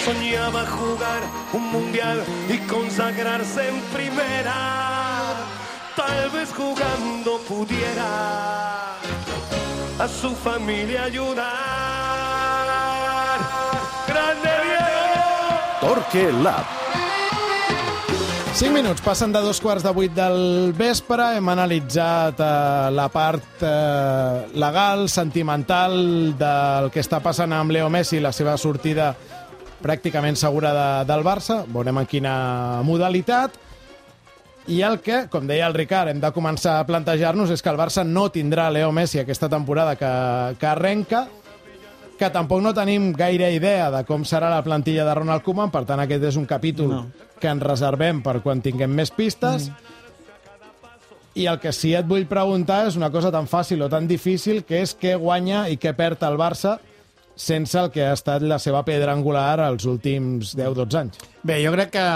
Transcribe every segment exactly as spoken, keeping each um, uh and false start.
soñaba jugar un mundial y consagrarse en primera. Tal vez jugando pudiera a su familia ayudar. ¡Grande Diego! Torque Lab. cinc minuts, passen de dos quarts de vuit del vespre. Hem analitzat eh, la part eh, legal, sentimental del que està passant amb Leo Messi, la seva sortida pràcticament segura de, del Barça. Veurem en quina modalitat. I el que, com deia el Ricard, hem de començar a plantejar-nos és que el Barça no tindrà Leo Messi aquesta temporada que, que arrenca, que tampoc no tenim gaire idea de com serà la plantilla de Ronald Koeman, per tant aquest és un capítol no. que ens reservem per quan tinguem més pistes. Mm. I el que sí et vull preguntar és una cosa tan fàcil o tan difícil, que és què guanya i què perd el Barça sense el que ha estat la seva pedra angular els últims deu dotze anys. Bé, jo crec que,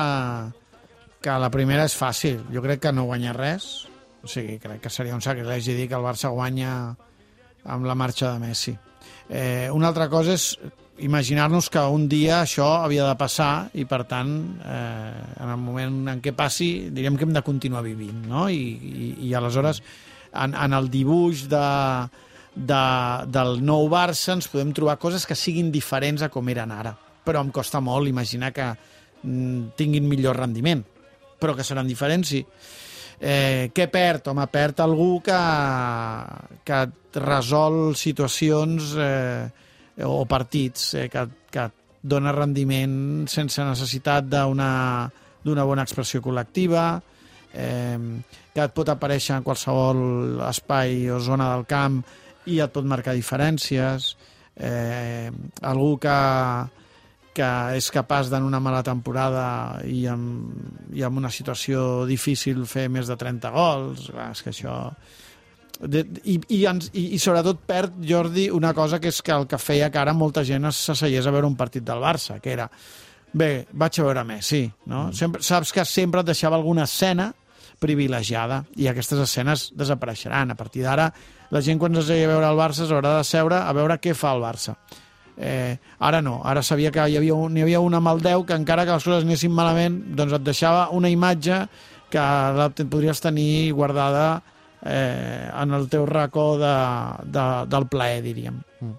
que la primera és fàcil. Jo crec que no guanya res. O sigui, crec que seria un sacrilegi dir que el Barça guanya amb la marxa de Messi. Eh, una altra cosa és imaginar-nos que un dia això havia de passar i, per tant, eh, en el moment en què passi, diríem que hem de continuar vivint, no? I, i, i aleshores, en, en el dibuix de, de, del nou Barça ens podem trobar coses que siguin diferents a com eren ara. Però em costa molt imaginar que mm, tinguin millor rendiment, però que seran diferents, sí. Eh, què perd? Home, perd algú que, que resol situacions eh, o partits, eh, que, que dona rendiment sense necessitat d'una d'una bona expressió col·lectiva, eh, que et pot aparèixer en qualsevol espai o zona del camp i et pot marcar diferències, eh, algú que que és capaç d'en una mala temporada i amb, i amb una situació difícil fer més de trenta gols. Clar, és que això... De, i, i, i, I sobretot perd, Jordi, una cosa que és que el que feia que ara molta gent s'asseiés a veure un partit del Barça, que era, bé, vaig a veure Messi, no? Mm. Sempre, saps que sempre et deixava alguna escena privilegiada i aquestes escenes desapareixeran. A partir d'ara, la gent quan s'asseia a veure el Barça s'haurà de seure a veure què fa el Barça. Eh, ara no, ara sabia que hi havia, un, n'hi havia una amb el deu que encara que les coses anessin malament doncs et deixava una imatge que la podries tenir guardada eh, en el teu racó de, de, del plaer, diríem. Mm.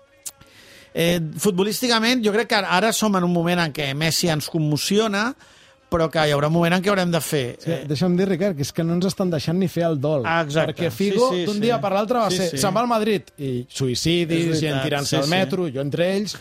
Eh, futbolísticament jo crec que ara som en un moment en què Messi ens commociona, però que hi haurà un moment en què haurem de fer... Sí, deixa'm dir, Ricard, que és que no ens estan deixant ni fer el dol. Ah, exacte. Perquè Figo, sí, sí, d'un sí. dia per l'altre, va sí, ser... Sí. Se'n va al Madrid, i suïcidis, gent tirant-se sí, al metro, sí. jo entre ells...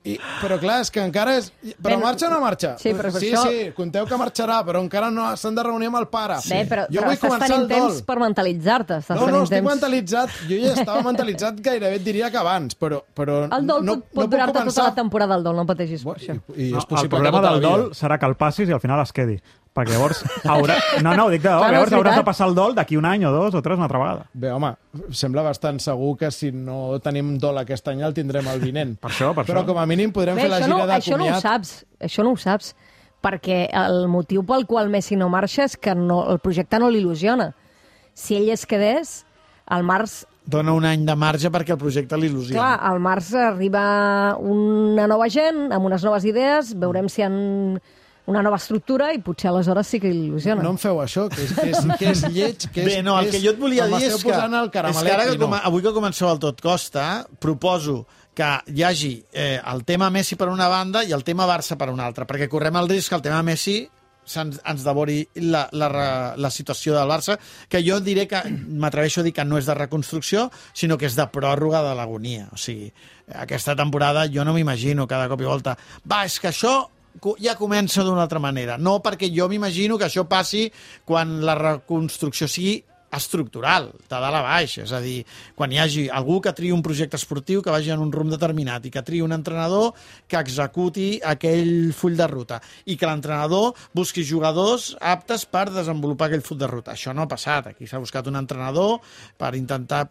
I, però clar, és que encara és... Però Bé, marxa o no marxa? Sí, però sí, això... sí, conteu que marxarà, però encara no s'han de reunir amb el pare. Bé, però, jo però vull estàs començar tenint el dol. temps per mentalitzar-te. Estàs No, no, estic temps... mentalitzat. Jo ja estava mentalitzat gairebé, et diria que abans, però... però el dol no, pot, pot no durar-te començar... tota la temporada, el dol, no pateixis per això. I, i no, és possible el problema que tota del la vida. dol serà que el passis i al final es quedi. Perquè llavors haurà... No, no, ho dic de dol. Clar, Llavors és hauràs veritat. de passar el dol d'aquí un any o dos o tres una altra vegada. Bé, home, sembla bastant segur que si no tenim dol aquest any el tindrem el vinent. Per això, per Però això. com a mínim podrem Bé, fer la això, no, gira de això no ho comiat. saps, això no ho saps, perquè el motiu pel qual Messi no marxa és que no, el projecte no l'il·lusiona. Si ell es quedés, al març... Dona un any de marge perquè el projecte l'il·lusiona. Clar, al març arriba una nova gent, amb unes noves idees, veurem si han una nova estructura i potser aleshores sí que il·lusiona. No em feu això, que és, que és, que és lleig, que és... Bé, no, el que jo et volia dir és que, el és que ara que com, avui que comenceu el Tot Costa, proposo que hi hagi eh, el tema Messi per una banda i el tema Barça per una altra, perquè correm el risc que el tema Messi ens, ens devori la, la, la situació del Barça, que jo diré que m'atreveixo a dir que no és de reconstrucció, sinó que és de pròrroga de l'agonia. O sigui, aquesta temporada jo no m'imagino cada cop i volta, va, és que això ja comença d'una altra manera. No, perquè jo m'imagino que això passi quan la reconstrucció sigui estructural, de dalt a baix, és a dir, quan hi hagi algú que triï un projecte esportiu que vagi en un rumb determinat i que triï un entrenador que executi aquell full de ruta i que l'entrenador busqui jugadors aptes per desenvolupar aquell full de ruta. Això no ha passat. Aquí s'ha buscat un entrenador per intentar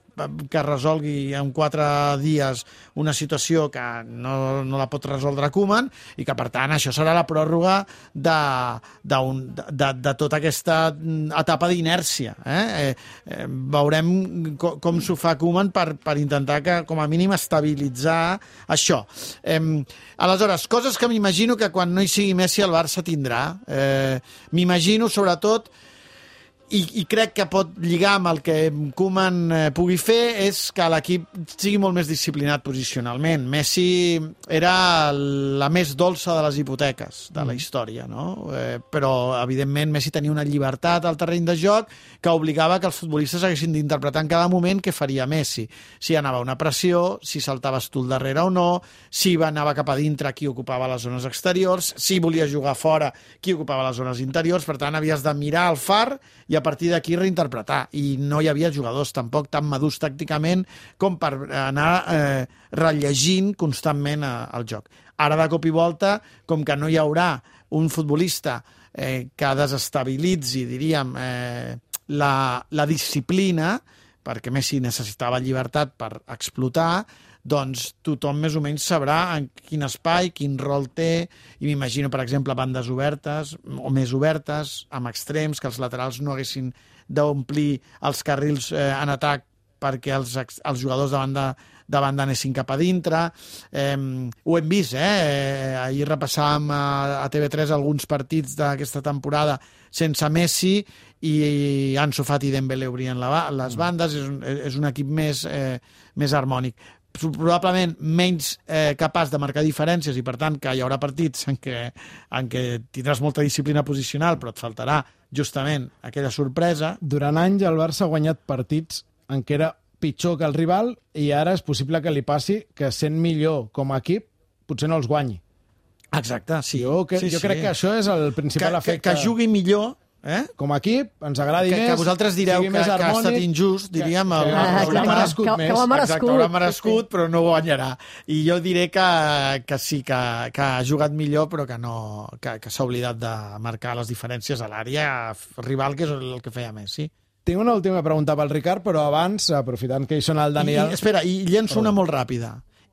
que resolgui en quatre dies una situació que no, no la pot resoldre Koeman i que, per tant, això serà la pròrroga de, de, un, de, de tota aquesta etapa d'inèrcia, eh? eh, eh, veurem co com s'ho fa Koeman per, per intentar que, com a mínim, estabilitzar això. Eh, aleshores, coses que m'imagino que quan no hi sigui Messi el Barça tindrà. Eh, m'imagino, sobretot, I, i crec que pot lligar amb el que Koeman eh, pugui fer, és que l'equip sigui molt més disciplinat posicionalment. Messi era la més dolça de les hipoteques de la història, no? Eh, però, evidentment, Messi tenia una llibertat al terreny de joc que obligava que els futbolistes haguessin d'interpretar en cada moment què faria Messi. Si anava una pressió, si saltaves tu al darrere o no, si anava cap a dintre, qui ocupava les zones exteriors, si volia jugar fora, qui ocupava les zones interiors. Per tant, havies de mirar el far i a partir d'aquí reinterpretar. I no hi havia jugadors tampoc tan madurs tàcticament com per anar eh, rellegint constantment eh, el joc. Ara, de cop i volta, com que no hi haurà un futbolista eh, que desestabilitzi, diríem, eh, la, la disciplina, perquè Messi necessitava llibertat per explotar, doncs tothom més o menys sabrà en quin espai, quin rol té, i m'imagino, per exemple, bandes obertes o més obertes, amb extrems, que els laterals no haguessin d'omplir els carrils eh, en atac perquè els, els jugadors de banda, de banda anessin cap a dintre. Eh, ho hem vist, eh? Ahir repassàvem a, a T V tres alguns partits d'aquesta temporada sense Messi i Ansu Fati i Dembélé obrien la, les bandes. És un, és un equip més, eh, més harmònic. Probablement menys eh, capaç de marcar diferències i, per tant, que hi haurà partits en què, en què tindràs molta disciplina posicional, però et faltarà justament aquella sorpresa. Durant anys el Barça ha guanyat partits en què era pitjor que el rival i ara és possible que li passi que sent millor com a equip potser no els guanyi. Exacte, sí. Jo, que, sí, jo sí. crec que això és el principal que, efecte. Que, que jugui millor, eh? Com a equip, ens agradi que, més, que vosaltres direu que, que ha estat injust, diríem, que, el, que, el, que, el, merescut que, més. que ho ha merescut. Exacte, ho ha merescut, però no guanyarà. I jo diré que, que sí, que, que ha jugat millor, però que, no, que, que s'ha oblidat de marcar les diferències a l'àrea rival, que és el que feia Messi. Tinc una última pregunta pel Ricard, però abans, aprofitant que hi són el Daniel... I, espera, i llenço una molt ràpida.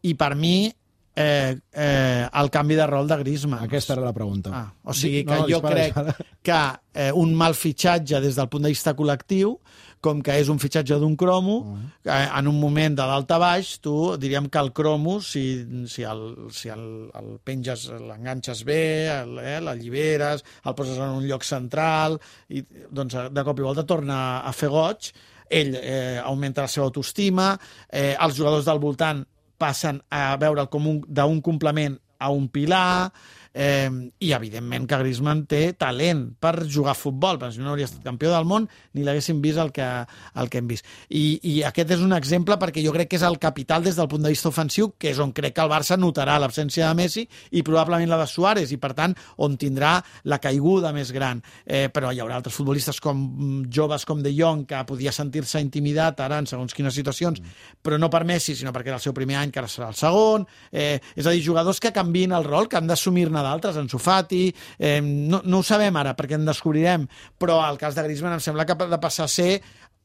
I per mi, eh, eh, el canvi de rol de Griezmann. Aquesta era la pregunta. Ah, o sigui que no, jo dispara, crec dispara. que eh, un mal fitxatge des del punt de vista col·lectiu, com que és un fitxatge d'un cromo, uh-huh. eh, en un moment de dalt a baix, tu diríem que el cromo, si, si, el, si el, el penges, l'enganxes bé, el, eh, l'alliberes, el poses en un lloc central, i doncs de cop i volta torna a fer goig, ell eh, augmenta la seva autoestima, eh, els jugadors del voltant passen a veure'l com un, d'un complement a un pilar, eh, i evidentment que Griezmann té talent per jugar a futbol, perquè si no hauria estat campió del món ni l'haguéssim vist el que, el que hem vist. I, I aquest és un exemple perquè jo crec que és el capital des del punt de vista ofensiu, que és on crec que el Barça notarà l'absència de Messi i probablement la de Suárez, i per tant on tindrà la caiguda més gran. Eh, però hi haurà altres futbolistes com joves com De Jong, que podia sentir-se intimidat ara en segons quines situacions, mm. però no per Messi, sinó perquè era el seu primer any, que ara serà el segon. Eh, és a dir, jugadors que canviïn el rol, que han d'assumir-ne d'altres, Ansu Fati, eh, no, no ho sabem ara perquè en descobrirem, però el cas de Griezmann em sembla que ha de passar a ser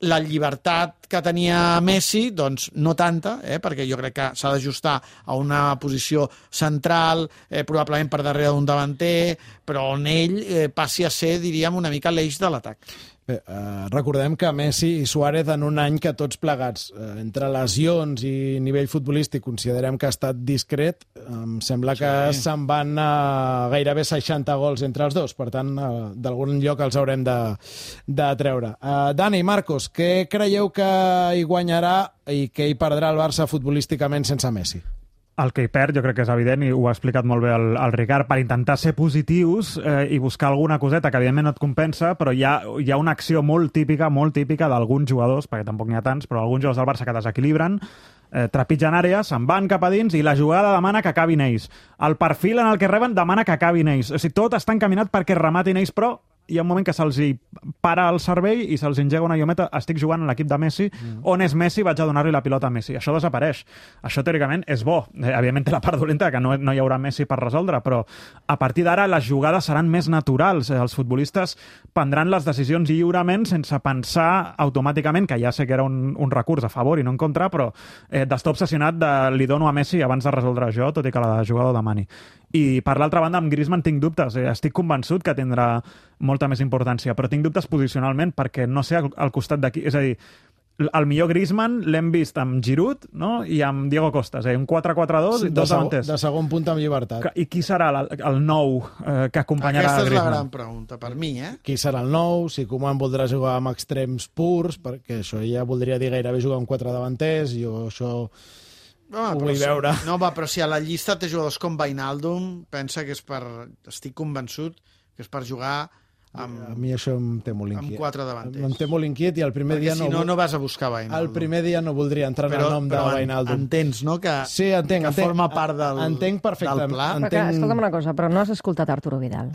la llibertat que tenia Messi, doncs no tanta, eh, perquè jo crec que s'ha d'ajustar a una posició central, eh, probablement per darrere d'un davanter, però on ell eh, passi a ser, diríem, una mica l'eix de l'atac. Bé, eh, recordem que Messi i Suárez en un any que tots plegats, eh, entre lesions i nivell futbolístic, considerem que ha estat discret. Em sembla que sí. se'n van a gairebé seixanta gols entre els dos, per tant, eh, d'algun lloc els haurem de, de treure. Eh, Dani, Marcos, què creieu que hi guanyarà i què hi perdrà el Barça futbolísticament sense Messi? El que hi perd, jo crec que és evident, i ho ha explicat molt bé el, el Ricard, per intentar ser positius eh, i buscar alguna coseta que evidentment no et compensa, però hi ha, hi ha una acció molt típica, molt típica d'alguns jugadors, perquè tampoc n'hi ha tants, però alguns jugadors del Barça que desequilibren, eh, trepitgen àrees, se'n van cap a dins i la jugada demana que acabin ells. El perfil en el que reben demana que acabin ells. O sigui, tot està encaminat perquè rematin ells, però hi ha un moment que se'ls para el cervell i se'ls engega una llumeta, estic jugant en l'equip de Messi, mm. on és Messi, vaig a donar-li la pilota a Messi. Això desapareix. Això, teòricament, és bo. Eh, evidentment té la part dolenta, que no, no hi haurà Messi per resoldre, però a partir d'ara les jugades seran més naturals. Eh, els futbolistes prendran les decisions lliurement sense pensar automàticament, que ja sé que era un, un recurs a favor i no en contra, però eh, d'estar obsessionat de li dono a Messi abans de resoldre jo, tot i que la jugada ho demani. I per l'altra banda, amb Griezmann tinc dubtes. Eh, estic convençut que tindrà molt molta més importància, però tinc dubtes posicionalment perquè no sé al, al costat d'aquí, és a dir, el millor Griezmann l'hem vist amb Giroud, no? I amb Diego Costa, és a dir, un quatre quatre dos i de, dos segon, davanters. de segon punt amb llibertat. I qui serà el, el nou eh, que acompanyarà Aquesta és la Griezmann? gran pregunta, per mi, eh? Qui serà el nou? Si Koeman voldrà jugar amb extrems purs, perquè això ja voldria dir gairebé jugar amb quatre davanters, jo això Home, ho però vull si- veure. No, va, però si a la llista té jugadors com Wijnaldum, pensa que és per... Estic convençut que és per jugar amb, A mi això em té molt amb inquiet. quatre davanters. Em té molt inquiet i el primer Perquè dia si no... no, vol- no vas a buscar Wijnaldum. El primer dia no voldria entrar en però, el nom de però en- Wijnaldum. entens, no?, que, Sí, entenc, que entenc. forma part del, Entenc perfectament. del pla. Però que, Entenc- escolta'm una cosa, però no has escoltat Arturo Vidal.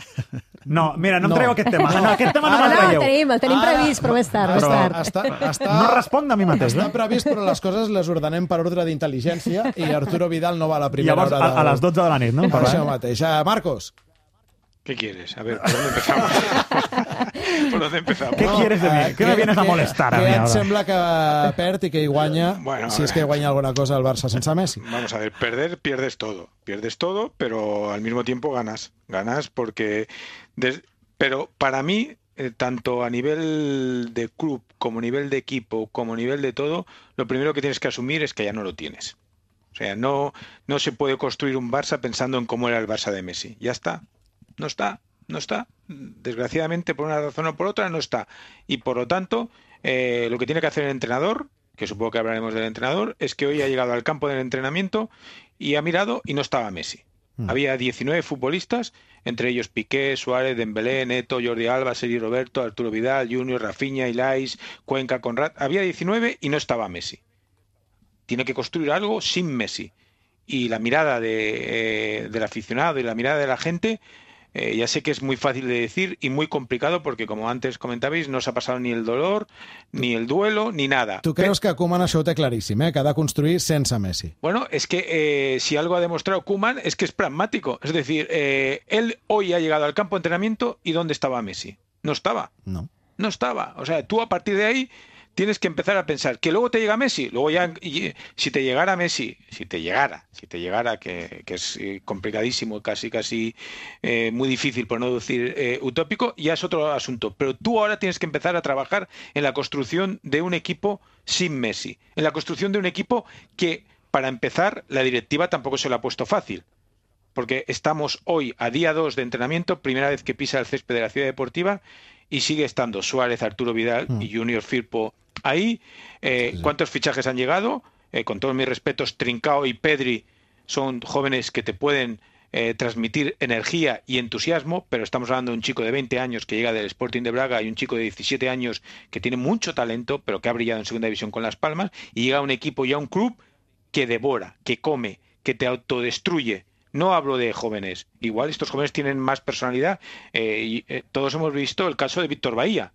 No, mira, no em No. traieu aquest tema. No, aquest tema no Ah, me'l no, el traieu. tenim, el tenim Ara- previst, però més tard, més Però- tard. Està, està, No responc de mi mateix, està eh? previst, però les coses les ordenem per ordre d'intel·ligència i Arturo Vidal no va a la I primera llavors, hora a, a les dotze de la nit, no? Per Per això mateix. Ah, Marcos, ¿Qué quieres? A ver, ¿por dónde empezamos? ¿Por dónde empezamos? ¿Qué quieres de mí? ¿Qué me vienes a molestar a què mi et ahora? sembla que perd i que hi guanya, Bueno, si és que hi guanya alguna cosa el Barça sense Messi? Vamos a ver, perder, pierdes todo. Pierdes todo, pero al mismo tiempo ganas. Ganas porque... des- Pero para mí, eh, tanto a nivel de club, como a nivel de equipo, como a nivel de todo, lo primero que tienes que asumir es que ya no lo tienes. O sea, no, no se puede construir un Barça pensando en cómo era el Barça de Messi. Ya está. No está. No está. Desgraciadamente, por una razón o por otra, no está. Y por lo tanto, eh, lo que tiene que hacer el entrenador, que supongo que hablaremos del entrenador, es que hoy ha llegado al campo del entrenamiento y ha mirado y no estaba Messi. Mm. Había diecinueve futbolistas, entre ellos Piqué, Suárez, Dembélé, Neto, Jordi Alba, Sergi Roberto, Arturo Vidal, Junior, Rafinha, Ilais, Cuenca, Conrad. Había diecinueve y no estaba Messi. Tiene que construir algo sin Messi. Y la mirada de, eh, del aficionado y la mirada de la gente, eh, ya sé que es muy fácil de decir y muy complicado porque, como antes comentabais, no se ha pasado ni el dolor, ni el duelo, ni nada. Tu creus que Koeman això ho té claríssim, eh? que ha de construir sense Messi? Bueno, es que eh, si algo ha demostrado Koeman es que es pragmático. Es decir, eh, él hoy ha llegado al campo de entrenamiento y ¿dónde estaba Messi? No estaba. No. No estaba. O sea, tú a partir de ahí tienes que empezar a pensar que luego te llega Messi, luego ya, y, si te llegara Messi, si te llegara, si te llegara, que, que es eh, complicadísimo, casi, casi eh, muy difícil, por no decir eh, utópico, ya es otro asunto. Pero tú ahora tienes que empezar a trabajar en la construcción de un equipo sin Messi, en la construcción de un equipo que, para empezar, la directiva tampoco se lo ha puesto fácil. Porque estamos hoy a día dos de entrenamiento, primera vez que pisa el césped de la Ciudad Deportiva, y sigue estando Suárez, Arturo Vidal Mm. y Junior Firpo ahí. Eh, Sí, sí. ¿Cuántos fichajes han llegado? Eh, con todos mis respetos, Trincao y Pedri son jóvenes que te pueden eh, transmitir energía y entusiasmo, pero estamos hablando de un chico de veinte años que llega del Sporting de Braga y un chico de diecisiete años que tiene mucho talento, pero que ha brillado en segunda división con Las Palmas, y llega a un equipo y a un club que devora, que come, que te autodestruye. No hablo de jóvenes. Igual estos jóvenes tienen más personalidad. Eh, y, eh, todos hemos visto el caso de Víctor Bahía,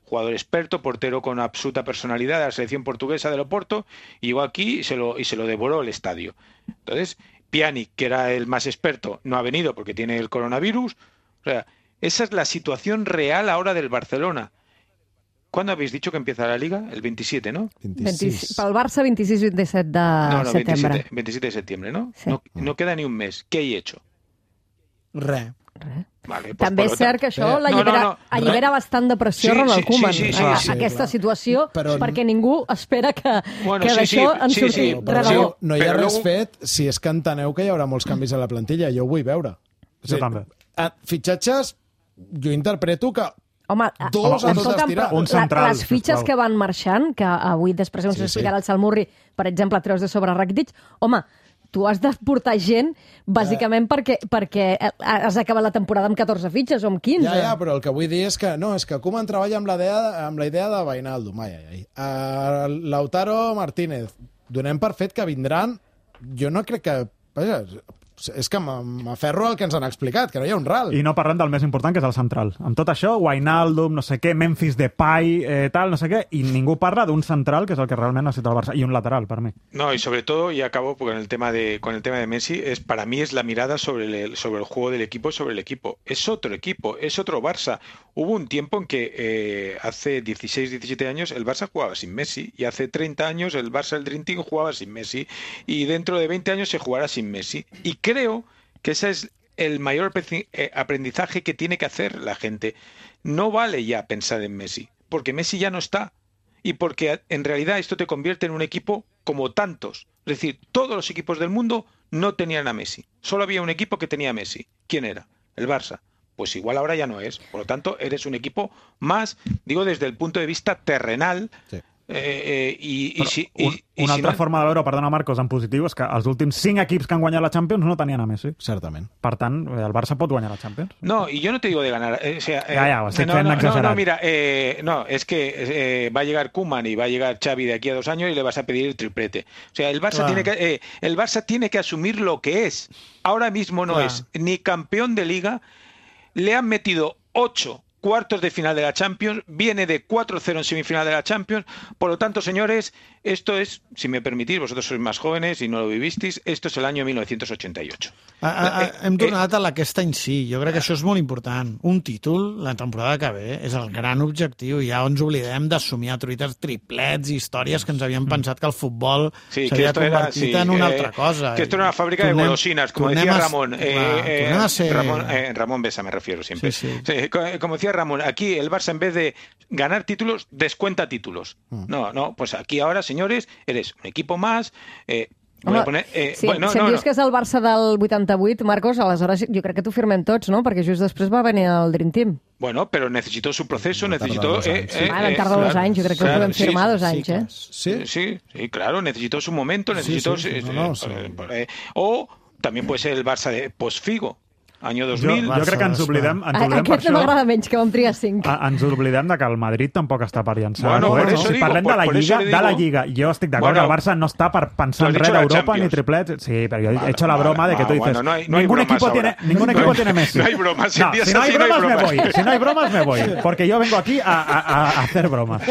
jugador experto, portero con absoluta personalidad de la selección portuguesa del Oporto, y llegó aquí y se lo, y se lo devoró el estadio. Entonces, Pjanic, que era el más experto, no ha venido porque tiene el coronavirus. O sea, esa es la situación real ahora del Barcelona. ¿Cuándo habéis dicho que empieza la Liga? El veintisiete, ¿no? vint-i-sis, pel Barça, vint-i-sis vint-i-set de no, no, setembre. veintisiete, veintisiete de septiembre, ¿no? Sí. No, no queda ni un mes. ¿Qué he hecho? Res. Res. Vale, pues També por és lo cert que això Eh, l'allibera no, no, no. allibera bastant de pressió Sí, Ronald sí, Koeman, sí, sí, sí, a, sí, aquesta clar. situació, Però- perquè ningú espera que, Bueno, que sí, d'això sí, en sí, surti sí, Però però rebedor. no, no hi ha Però res luego- fet si és que enteneu que hi haurà molts canvis a la plantilla. Jo ho vull veure. Jo també. eh, Fitxatges, jo interpreto que Home, a- Dos a dos escolta'm, estirar. però Un la- central, les fitxes sisplau. que van marxant, que avui després ens Sí, ho sí. explicarà el Salmurri, per exemple, treus de sobre Rakitic, home, tu has de portar gent bàsicament perquè, perquè has acabat la temporada amb catorze fitxes o amb quinze. Ja, ja, però el que vull dir és que no, és que Koeman treballa amb la idea, amb la idea de Wijnaldum. Ai, ai, ai. Uh, Lautaro Martínez, donem per fet que vindran. Jo no crec que... Vaja, és que m'aferro al que ens han explicat, que no hi ha un ral. I no parlem del més important, que és el central. Amb tot això, Wijnaldum, no sé què, Memphis Depay, eh, tal, no sé què, i ningú parla d'un central, que és el que realment necessita el Barça, i un lateral, per mi. No, y sobre todo, y acabo con el tema de con el tema de Messi, es para mí es la mirada sobre el, sobre el juego del equipo, sobre el equipo. Es otro equipo, es otro Barça. Hubo un tiempo en que eh, hace dieciséis, diecisiete años el Barça jugaba sin Messi, y hace treinta años el Barça, el Dream Team, jugaba sin Messi, y dentro de veinte años se jugará sin Messi. Y creo que esa es el mayor aprendizaje que tiene que hacer la gente. No vale ya pensar en Messi, porque Messi ya no está. Y porque en realidad esto te convierte en un equipo como tantos. Es decir, todos los equipos del mundo no tenían a Messi. Solo había un equipo que tenía a Messi. ¿Quién era? El Barça. Pues igual ahora ya no es. Por lo tanto, eres un equipo más, digo, desde el punto de vista terrenal. Sí. Eh, eh, i, i, si, un, i, una i altra si no... forma de veure, perdona Marcos, en positiu és que els últims cinc equips que han guanyat la Champions no tenien a Messi. Certament. Per tant, el Barça pot guanyar la Champions. No, y yo no te digo de ganar. Eh, o sea, eh, ya, ya, o sea, no, no, no, no, mira, eh, no, es que eh, va a llegar Koeman y va a llegar Xavi de aquí a dos años y le vas a pedir el triplete. O sea, el Barça, claro. tiene, que, eh, el Barça tiene que asumir lo que es. Ahora mismo no claro. es ni campeón de Liga, le han metido ocho cuartos de final de la Champions, viene de cuatro cero en semifinal de la Champions. Por lo tanto, señores, esto es, si me permitís, vosotros sois más jóvenes y no lo vivisteis, esto es el año mil novecientos ochenta y ocho. A, a, a, hem tornat a aquest any sí, jo crec que això és molt important. Un títol, la temporada que ve, és el gran objectiu. Ja ens oblidem de somiar truites, triplets i històries que ens havíem pensat que el futbol sí, s'havia convertit era, sí, en una eh, altra cosa. Que esto era una fábrica tornem, de golosinas, como decía Ramón. Eh, eh, ser... Ramón, eh, Ramón Besa me refiero siempre. Sí, sí. Sí, como decía Ramón, aquí el Barça en vez de ganar títulos, descuenta títulos. Mm. No, no, pues aquí ahora, señores, eres un equipo más... Eh, Home, a poner, eh, sí, bueno, no, si em no, dius no. que és el Barça del vuitanta-vuit, Marcos, aleshores jo crec que t'ho firmem tots, no? Perquè just després va venir el Dream Team. Bueno, pero necesitó su proceso, no necesitó... Eh, eh, ah, van tardar eh, dos claro, anys, jo crec que claro, ho podem firmar sí, dos anys, sí, eh? Sí, sí, sí, claro, necesitó su momento, necesitó... Sí, sí, sí, no, no, sí. Eh, o también puede ser el Barça de post-Figo, año dos mil. Jo, jo crec que ens oblidem, ens oblidem Aquest per això. M'agrada menys, que vam triar cinc. A, ens oblidem de que el Madrid tampoc està per llançar. Bueno, no, por no? eso Si digo, parlem por, de la por Lliga, digo, de la Lliga, jo estic d'acord bueno, que el Barça no està per pensar en res d'Europa ni triplets. Sí, pero yo he hecho la broma de que tú dices, bueno, no hay, no hay ningún equipo ahora. tiene ningún equipo no, tiene Messi. No hay bromas, no, si no hay bromas, no hay me voy. Si no hay bromas, me voy. Porque yo vengo aquí a, a, a hacer bromas.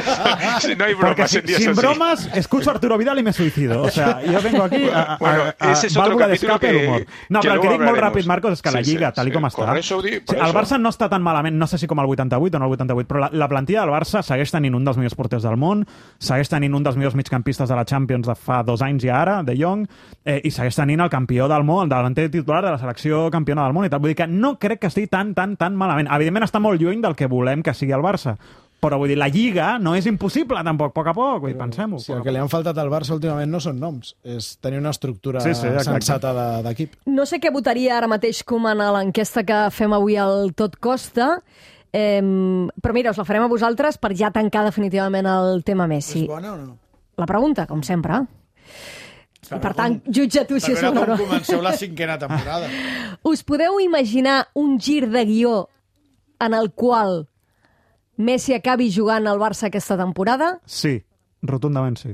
Si no hay bromas, porque si, sin así. bromas, escucho a Arturo Vidal y me suicido. O sea, yo vengo aquí a, a, bueno, a, a ese es válvula d'escape que, el humor. No, que però el que dic molt hablaremos. ràpid, Marcos, és que la sí, Lliga, sí, tal sí. com està... Por eso, por sí, el Barça no està tan malament, no sé si com el vuitanta-vuit o no el vuitanta-vuit, però la, la plantilla del Barça segueix tenint un dels millors porters del món, segueix tenint un dels millors migcampistes de la Champions de fa dos anys i ara, De Jong, eh, i segueix tenint el campió del món, el davanter titular de la selecció campiona del món i tal. Vull dir que no crec que estigui tan, tan, tan malament. Evidentment està molt lluny del que volem que sigui el Barça, però vull dir, la Lliga no és impossible tampoc, a poc a poc, vull dir, pensem-ho. Sí, el que li han faltat al Barça últimament no són noms, és tenir una estructura sí, sí, sensata d'equip. No sé què votaria ara mateix Koeman a l'enquesta que fem avui al Tot Costa, eh, però mira, us la farem a vosaltres per ja tancar definitivament el tema Messi. És bona o no? La pregunta, com sempre. I per tant, jutja tu si és bona o no. Com comenceu la cinquena temporada. Us podeu imaginar un gir de guió en el qual Messi acabi jugant al Barça aquesta temporada? Sí, rotundament sí.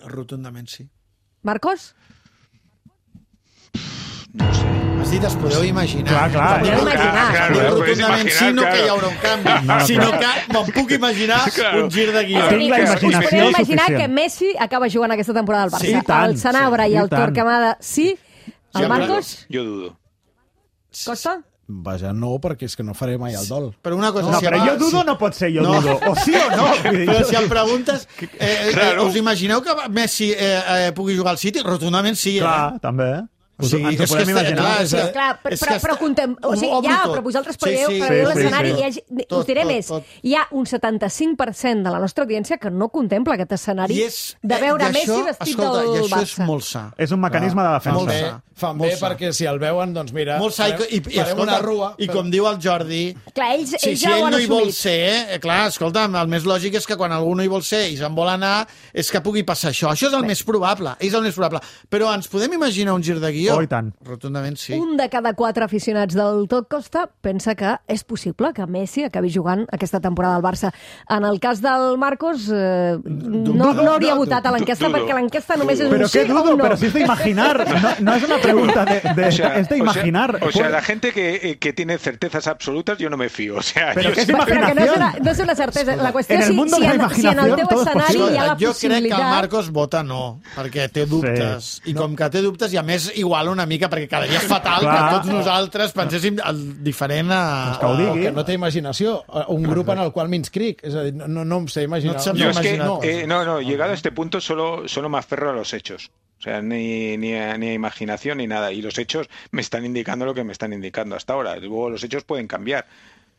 Rotundament sí. Marcos? No sé. Has dit, es podeu imaginar. Clar, clar. Es podeu imaginar. Clar, Diu clar, rotundament sí, no que hi haurà un canvi, No, sinó clar. que me'n puc imaginar Claro. un gir de guió. És a dir, la us, us imaginació podeu imaginar suficient. que Messi acaba jugant aquesta temporada al Barça. Sí, i tant, el Sanabra sí, i i el tant. Torquemada sí. El Sí, Marcos? Jo dudo. Costa? Vaja, no, perquè és que no faré mai el dol. Però una cosa... No, si però em- jo dudo si- no pot ser jo No. dudo. O sí o no. Vull dir, Però si em preguntes, eh, eh, Claro. us imagineu que Messi eh, eh, pugui jugar al City? Rotundament sí, eh? clar, també. O sigui, ens ho és podem que imaginar. clar, és, Sí, clar, però, és que però, està- però contem... O sigui, Obro ja, tot. però vosaltres Sí, preveu, sí, preveu sí, sí, l'escenari. sí. Hi ha, Tot, us diré tot, més. tot. Hi ha un setanta-cinc per cent de la nostra audiència que no contempla aquest escenari I és, de veure i Messi això, vestit escolta, del i això Barça. és molt sa. És un mecanisme de defensa. Fan bé, sa. fan Molt bé sa. perquè si el veuen, doncs mira, Molt sa, i, i, i, farem escolta, una rua. i com diu el Jordi, Clar, ells, si, ells si ja ho ell han no hi vol assumit. ser, eh, clar, escolta, el més lògic és que quan algú no hi vol ser i se'n vol anar, és que pugui passar això. Això és el més probable, és el més probable. Però ens podem imaginar un gir de guió? Oh, i tant. Rotundament sí. Un de cada quatre aficionats del Tot Costa pensa que és possible que Messi acabi jugant aquesta temporada al Barça. En el cas del Marcos, eh, no, no hauria votat a l'enquesta dudo. perquè l'enquesta només és Pero un sí qué o dudo, un no. pero si es de imaginar, no, no es una pregunta de, de- O sea, es de o sea- imaginar. O sea, la gente que, que tiene certezas absolutas, yo no me fío. O sea, Pero yo ¿qué es sí- Però que no és, una, imaginación? no és una certesa. La qüestió En és el si, mundo si, de la en, si en el imaginación teu todo es escenari posible. hi ha la jo crec que el possibilitat... Marcos vota no, perquè té dubtes. Sí. I com que té dubtes, i a més igual una mica, perquè quedaria fatal Clar. que tots nosaltres penséssim el diferent a... que ho O digui. que no té imaginació. Un grup en el qual m'inscric. És a dir, no, no em sé imaginar. No et saps Yo es que, imaginar. eh, no, no, llegado a este punto solo, solo me aferro a los hechos. O sea, ni, ni, ni imaginación ni nada. Y los hechos me están indicando lo que me están indicando hasta ahora. Luego los hechos pueden cambiar.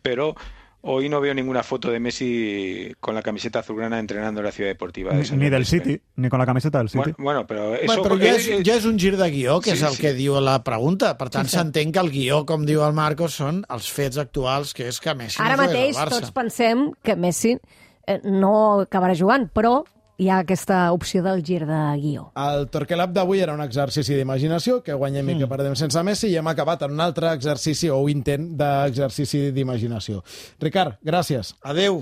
Pero hoy no veo ninguna foto de Messi con la camiseta azulgrana entrenando en la ciudad deportiva. De Ni, ni del City, ni con la camiseta del City. Bueno, bueno però eso... Bueno, però ja és, ja és un gir de guió, que Sí, és el sí. que diu la pregunta. Per tant, Sí, sí. s'entén que el guió, com diu el Marcos, són els fets actuals, que és que Messi Ara no jugués mateix al Barça. tots pensem que Messi eh, no acabarà jugant, però hi ha aquesta opció del gir de guió. El Torquelab d'avui era un exercici d'imaginació, que guanyem mm. i que perdem sense Messi, i hem acabat en un altre exercici o intent d'exercici d'imaginació. Ricard, gràcies. Adeu.